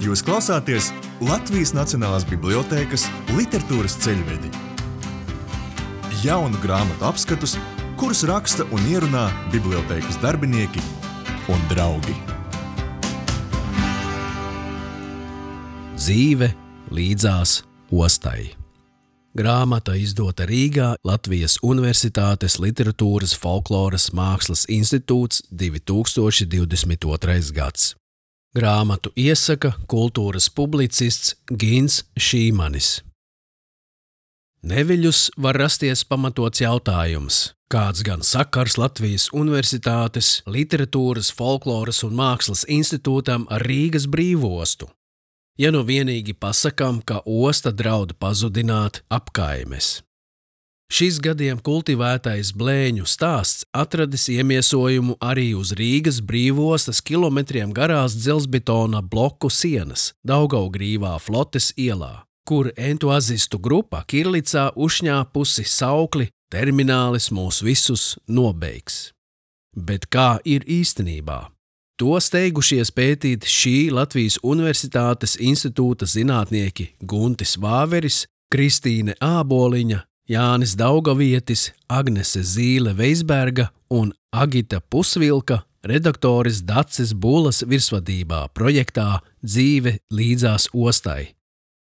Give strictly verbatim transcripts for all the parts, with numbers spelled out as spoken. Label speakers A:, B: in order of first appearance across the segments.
A: Jūs klausāties Latvijas Nacionālās bibliotēkas literatūras ceļvedi. Jaunu grāmatu apskatus, kurus raksta un ierunā bibliotēkas darbinieki un draugi.
B: Dzīve līdzās ostai. Grāmata izdota Rīgā Latvijas Universitātes Literatūras folkloras mākslas institūts divi tūkstoši divdesmit otrais gads. Grāmatu iesaka kultūras publicists Gins Šīmanis. Neviļus var rasties pamatots jautājums, kāds gan sakars Latvijas Universitātes Literatūras, folkloras un mākslas institūtam ar Rīgas brīvostu. Ja nu vienīgi pasakām, ka osta draud pazudināt apkaimes. Šis gadiem kultivētais blēņu stāsts atradis iemiesojumu arī uz Rīgas brīvostas kilometriem garās dzelzbetona bloku sienas Daugavgrīvā Flotes ielā, kur entuazistu grupa kirlicā uzšņāpusi saukli "Terminālis mūs visus nobeigs". Bet kā ir īstenībā? To steigušies pētīt šī Latvijas Universitātes institūta zinātnieki Guntis Vāveris, Kristīne Āboliņa, Jānis Daugavietis, Agnese Zīle-Veisberga un Agita Pusvilka redaktoris Daces Bulas virsvadībā projektā Dzīve līdzās ostai.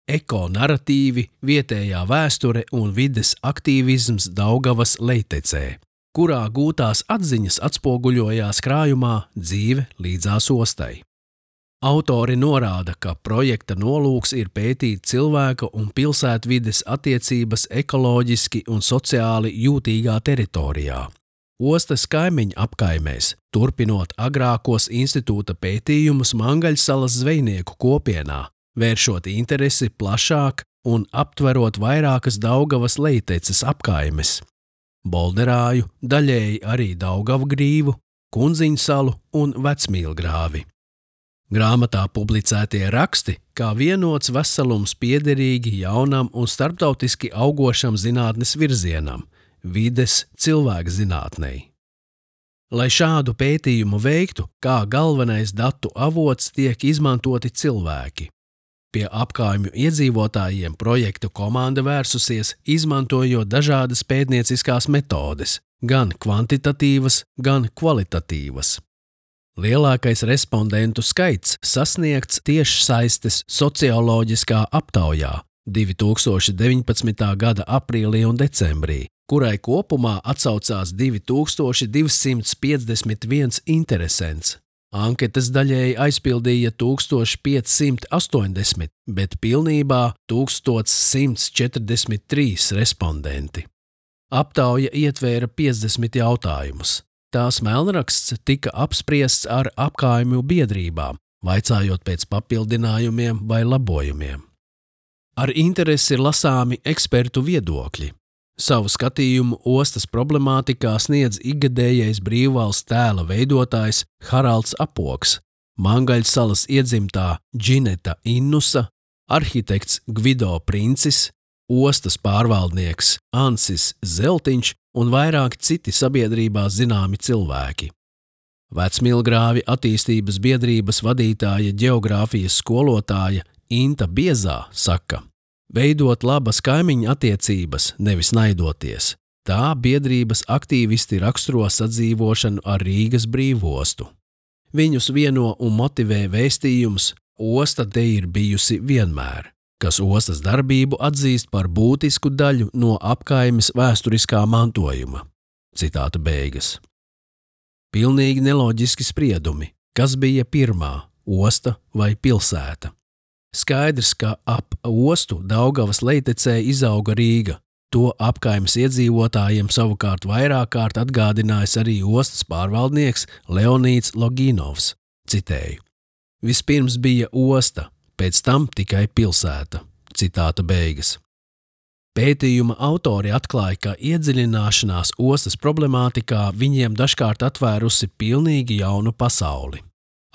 B: Eko-naratīvi, vietējā vēsture un vides aktīvisms Daugavas lejtecē, kurā gūtās atziņas atspoguļojās krājumā Dzīve līdzās ostai. Autori norāda, ka projekta nolūks ir pētīt cilvēka un pilsētvides attiecības ekoloģiski un sociāli jūtīgā teritorijā. Ostas kaimiņu apkaimēs, turpinot agrākos institūta pētījumus Mangaļsalas zvejnieku kopienā, vēršot interesi plašāk un aptverot vairākas Daugavas lejteces apkaimes. Bolderāju, daļēji arī Daugavgrīvu, Kunziņsalu un Vecmīlgrāvi. Grāmatā publicētie raksti kā vienots veselums piederīgi jaunam un starptautiski augošam zinātnes virzienam – vides cilvēkzinātnei. Lai šādu pētījumu veiktu, kā galvenais datu avots tiek izmantoti cilvēki. Pie apkaimju iedzīvotājiem projektu komanda vērsusies, izmantojot dažādas pētnieciskās metodes, gan kvantitatīvas, gan kvalitatīvas. Lielākais respondentu skaits sasniegts tiešsaistes socioloģiskā aptaujā divi tūkstoši deviņpadsmitā gada aprīlī un decembrī, kurai kopumā atsaucās divi tūkstoši divsimt piecdesmit viens interesents. Anketas daļēji aizpildīja tūkstoš piecsimt astoņdesmit, bet pilnībā tūkstoš simts četrdesmit trīs respondenti. Aptauja ietvēra piecdesmit jautājumus. Tās melnraksts tika apspriests ar apkaimju biedrībām, vaicājot pēc papildinājumiem vai labojumiem. Ar interesi ir lasāmi ekspertu viedokļi. Savu skatījumu ostas problemātikā sniedz ikgadējais brīvvalsts tēla veidotājs Haralds Apoks, Mangaļsalas iedzimtā Džineta Innusa, arhitekts Gvido Princis, ostas pārvaldnieks Ansis Zeltiņš un vairāki citi sabiedrībā zināmi cilvēki. Vecmīlgrāvi attīstības biedrības vadītāja ģeogrāfijas skolotāja Inta Biezā saka: veidot labas kaimiņu attiecības, nevis naidoties. Tā biedrības aktīvisti raksturo sadzīvošanu ar Rīgas brīvostu. Viņus vieno un motivē vēstījums "Osta te ir bijusi vienmēr", kas ostas darbību atzīst par būtisku daļu no apkaimes vēsturiskā mantojuma. Citāta beigas. Pilnīgi neloģiski spriedumi, kas bija pirmā, osta vai pilsēta. Skaidrs, ka ap ostu Daugavas lejtecē izauga Rīga. To apkaimes iedzīvotājiem savukārt vairāk kārt atgādinājis arī ostas pārvaldnieks Leonīds Loginovs. Citēju: vispirms bija osta, pēc tam tikai pilsēta. Citāta beigas. Pētījuma autori atklāja, ka iedziļināšanās ostas problemātikā viņiem dažkārt atvērusi pilnīgi jaunu pasauli.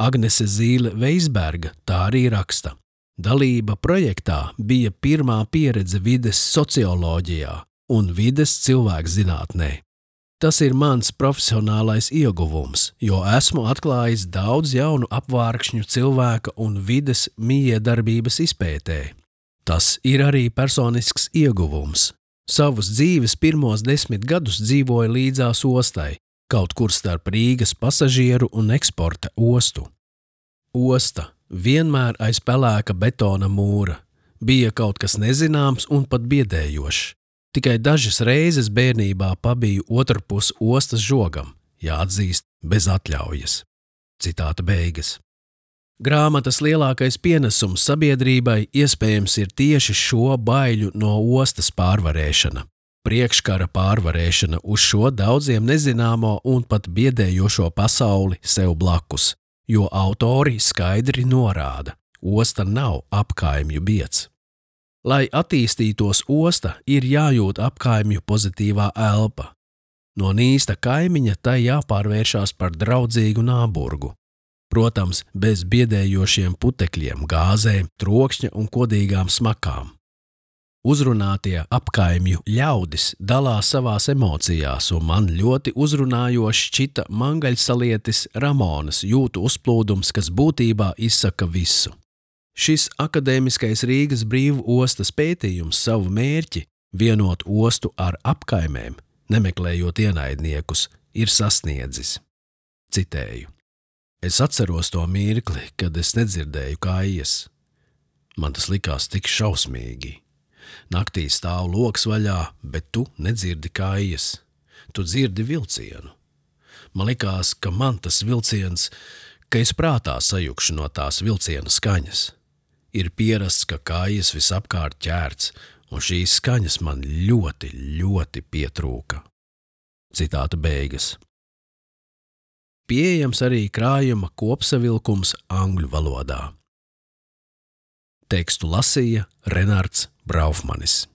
B: Agnese Zīle-Veisberga tā arī raksta. Dalība projektā bija pirmā pieredze vides socioloģijā un vides cilvēkzinātnē. Tas ir mans profesionālais ieguvums, jo esmu atklājis daudz jaunu apvārkšņu cilvēka un vides mijiedarbības izpētē. Tas ir arī personisks ieguvums. Savus dzīves pirmos desmit gadus dzīvoju līdzās ostai, kaut kur starp Rīgas pasažieru un eksporta ostu. Osta, vienmēr aiz pelēka betona mūra, bija kaut kas nezināms un pat biedējošs. Tikai dažas reizes bērnībā pabiju otrpus ostas žogam, jāatzīst, bez atļaujas. Citāta beigas. Grāmatas lielākais pienesums sabiedrībai iespējams ir tieši šo baiļu no ostas pārvarēšana, priekškara pārvarēšana uz šo daudziem nezināmo un pat biedējošo pasauli sev blakus, jo autori skaidri norāda, osta nav apkaimju bieds. Lai attīstītos osta, ir jājūt apkaimju pozitīvā elpa. No nīsta kaimiņa tai jāpārvēršās par draudzīgu nāburgu. Protams, bez biedējošiem putekļiem, gāzēm, trokšņa un kodīgām smakām. Uzrunātie apkaimju ļaudis dalās savās emocijās, un man ļoti uzrunājoši šķita mangaļsalietis Ramonas jūtu uzplūdums, kas būtībā izsaka visu. Šis akadēmiskais Rīgas brīvu ostas pētījums savu mērķi, vienot ostu ar apkaimēm, nemeklējot ienaidniekus, ir sasniedzis. Citēju. Es atceros to mirkli, kad es nedzirdēju kājas. Man tas likās tik šausmīgi. Naktī stāv loks vaļā, bet tu nedzirdi kājas. Tu dzirdi vilcienu. Man likās, ka man tas vilciens, ka es prātā sajukšu no tās vilciena skaņas. Ir pierasts, ka kājas visapkārt ķērts, un šīs skaņas man ļoti, ļoti pietrūka. Citāta beigas. Pieejams arī krājuma kopsavilkums angļu valodā. Tekstu lasīja Renards Braufmanis.